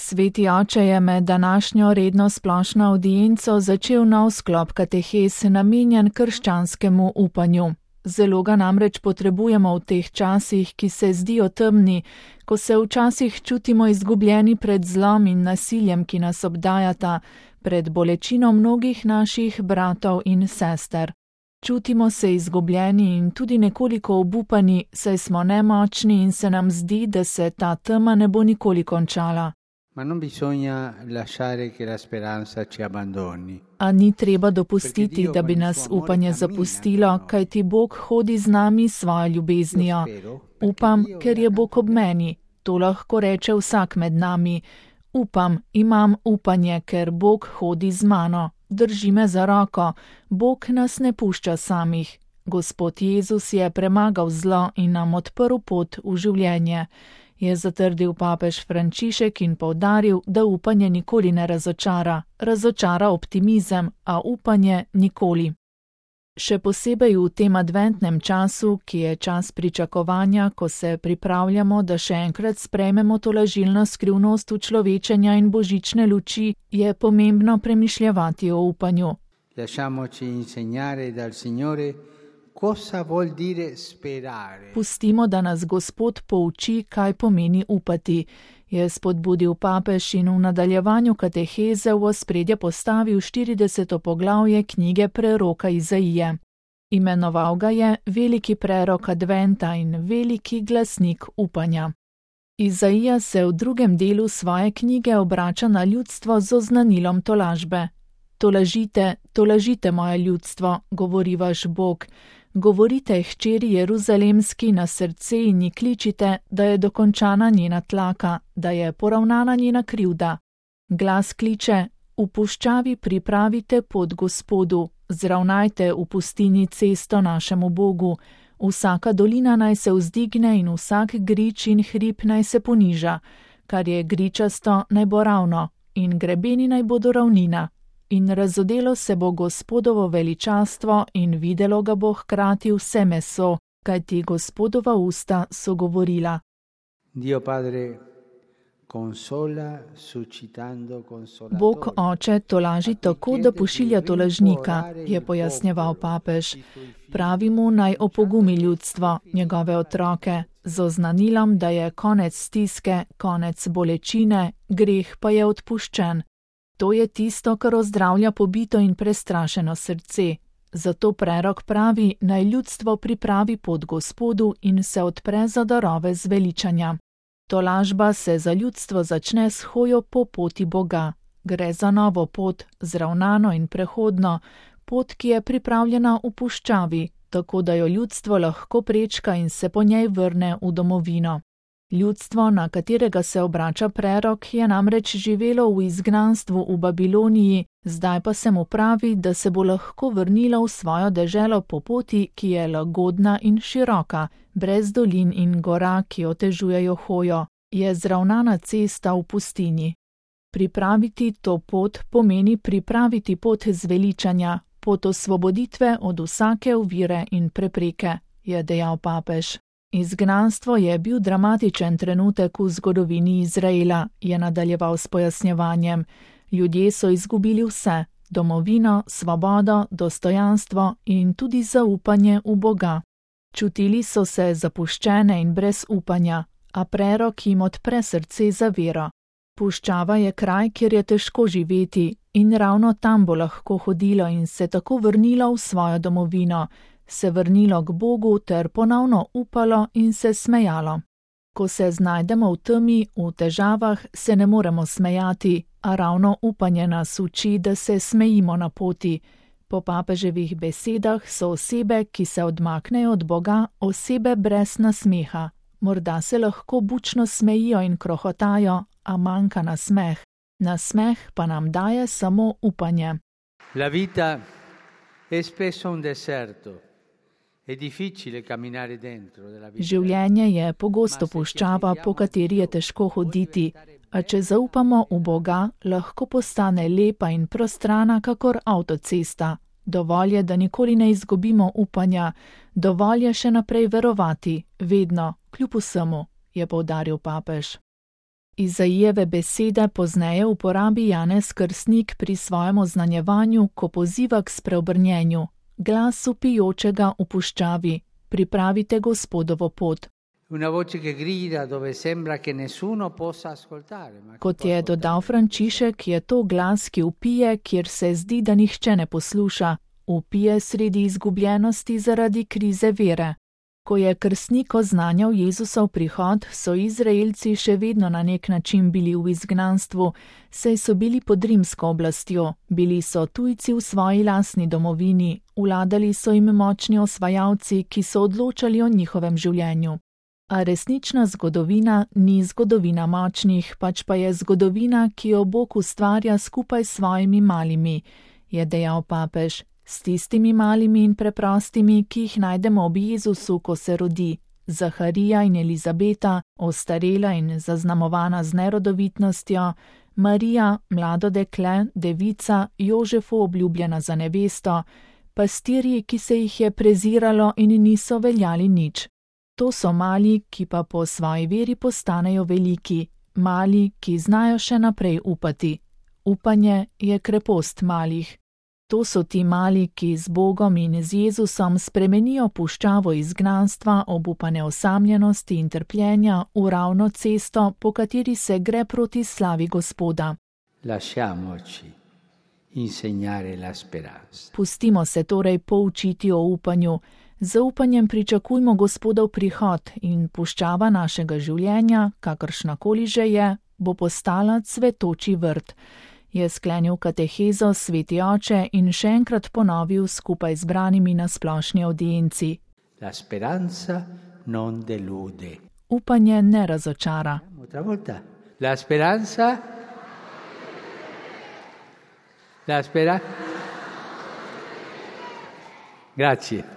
Sveti oče je med današnjo redno splošno avdienco začel nov sklop katehes namenjen krščanskemu upanju. Zelo ga namreč potrebujemo v teh časih, ki se zdijo temni, ko se včasih čutimo izgubljeni pred zlom in nasiljem, ki nas obdajata, pred bolečino mnogih naših bratov in sester. Čutimo se izgubljeni in tudi nekoliko obupani, saj smo nemočni in se nam zdi, da se ta tema ne bo nikoli končala. Ma non bisogna lasciare che la speranza ci abbandoni. A ni treba dopustiti, da bi nas upanje zapustilo, kajti Bog hodi z nami svojo ljubeznijo. Upam, ker je Bog ob meni. To lahko reče vsak med nami. Upam, imam upanje, ker Bog hodi z mano. Drži me za roko. Bog nas ne pušča samih. Gospod Jezus je premagal zlo in nam odprl pot v življenje. Je zatrdil papež Frančišek in poudaril, da upanje nikoli ne razočara. Razočara optimizem, a upanje nikoli. Še posebej v tem adventnem času, ki je čas pričakovanja, ko se pripravljamo, da še enkrat sprejmemo tolažilno skrivnost učlovečenja in božične luči, je pomembno premišljevati o upanju. Lasciamoci insegnare dal Signore cosa vuol dire sperare. Pustimo, da nas Gospod pouči, kaj pomeni upati, je spodbudil papež in v nadaljevanju kateheze v ospredje postavil 40. poglavje knjige preroka Izaije. Imenoval ga je veliki prerok adventa in veliki glasnik upanja. Izaija se v drugem delu svoje knjige obrača na ljudstvo z oznanilom tolažbe. Tolažite, tolažite moje ljudstvo, govori vaš Bog. Govorite hčeri Jeruzalemski na srce in ji kličite, da je dokončana njena tlaka, da je poravnana njena krivda. Glas kliče, v puščavi pripravite pot Gospodu, zravnajte v pustini cesto našemu Bogu. Vsaka dolina naj se vzdigne in vsak grič in hrib naj se poniža, kar je gričasto naj bo ravno in grebeni naj bodo ravnina. In razodelo se bo Gospodovo veličastvo in videlo ga bo hkrati vse meso, kajti Gospodova usta so govorila. Dio Padre consola suscitando consolatori. Bog Oče tolaži tako, da pošilja tolažnika, je pojasnjeval papež. Pravi mu naj opogumi ljudstvo, njegove otroke, z oznanilom, da je konec stiske, konec bolečine, greh pa je odpuščen. To je tisto, kar ozdravlja pobito in prestrašeno srce. Zato prerok pravi, naj ljudstvo pripravi pot Gospodu in se odpre za darove zveličanja. Tolažba se za ljudstvo začne s hojo po poti Boga. Gre za novo pot, zravnano in prehodno, pot, ki je pripravljena v puščavi, tako da jo ljudstvo lahko prečka in se po njej vrne v domovino. Ljudstvo, na katerega se obrača prerok, je namreč živelo v izgnanstvu v Babiloniji, zdaj pa se mu pravi, da se bo lahko vrnilo v svojo deželo po poti, ki je lagodna in široka, brez dolin in gora, ki otežujejo hojo, je zravnana cesta v pustini. Pripraviti to pot pomeni pripraviti pot zveličanja, pot osvoboditve od vsake ovire in prepreke, je dejal papež. Izgnanstvo je bil dramatičen trenutek v zgodovini Izraela, je nadaljeval s pojasnjevanjem. Ljudje so izgubili vse, domovino, svobodo, dostojanstvo in tudi zaupanje v Boga. Čutili so se zapuščene in brez upanja, a prerok jim odpre srce za vero. Puščava je kraj, kjer je težko živeti in ravno tam bo lahko hodilo in se tako vrnilo v svojo domovino, se vrnilo k Bogu ter ponovno upalo in se smejalo. Ko se znajdemo v temi, v težavah, se ne moremo smejati, a ravno upanje nas uči, da se smejimo na poti. Po papeževih besedah so osebe, ki se odmaknejo od Boga, osebe brez nasmeha. Morda se lahko bučno smejijo in krohotajo, a manjka nasmeh. Nasmeh pa nam daje samo upanje. La vita è spesso un deserto. Življenje je pogosto puščava, po kateri je težko hoditi, a če zaupamo v Boga, lahko postane lepa in prostrana kakor avtocesta. Dovolj je, da nikoli ne izgubimo upanja, dovolj je še naprej verovati, vedno, kljub vsemu, je poudaril papež. Izaijeve besede pozneje uporabi Janez Krstnik pri svojem oznanjevanju, ko poziva k spreobrnjenju. Glas vpijočega v puščavi: pripravite Gospodovo pot. Kot je dodal Frančišek, je to glas, ki vpije, kjer se zdi, da nihče ne posluša. Vpije sredi izgubljenosti zaradi krize vere. Ko je krstnik oznanjal Jezusov prihod, so Izraelci še vedno na nek način bili v izgnanstvu, saj so bili pod rimsko oblastjo, bili so tujci v svoji lastni domovini, vladali so jim močni osvajalci, ki so odločali o njihovem življenju. A resnična zgodovina ni zgodovina močnih, pač pa je zgodovina, ki jo Bog ustvarja skupaj s svojimi malimi, je dejal papež. S tistimi malimi in preprostimi, ki jih najdemo ob Jezusu, ko se rodi. Zaharija in Elizabeta, ostarela in zaznamovana z nerodovitnostjo, Marija, mlado dekle, devica, Jožefu obljubljena za nevesto, pastirji, ki se jih je preziralo in niso veljali nič. To so mali, ki pa po svoji veri postanejo veliki, mali, ki znajo še naprej upati. Upanje je krepost malih. To so ti mali, ki z Bogom in z Jezusom spremenijo puščavo izgnanstva, obupane osamljenosti in trpljenja v ravno cesto, po kateri se gre proti slavi Gospoda. Pustimo se torej poučiti o upanju. Z upanjem pričakujmo Gospodov prihod in puščava našega življenja, kakršnakoli že je, bo postala cvetoči vrt. Je sklenil katehezo sveti oče in še enkrat ponovil skupaj z branimi na splošni audienci. La speranza non delude. Upanje ne razočara. La speranza. Grazie.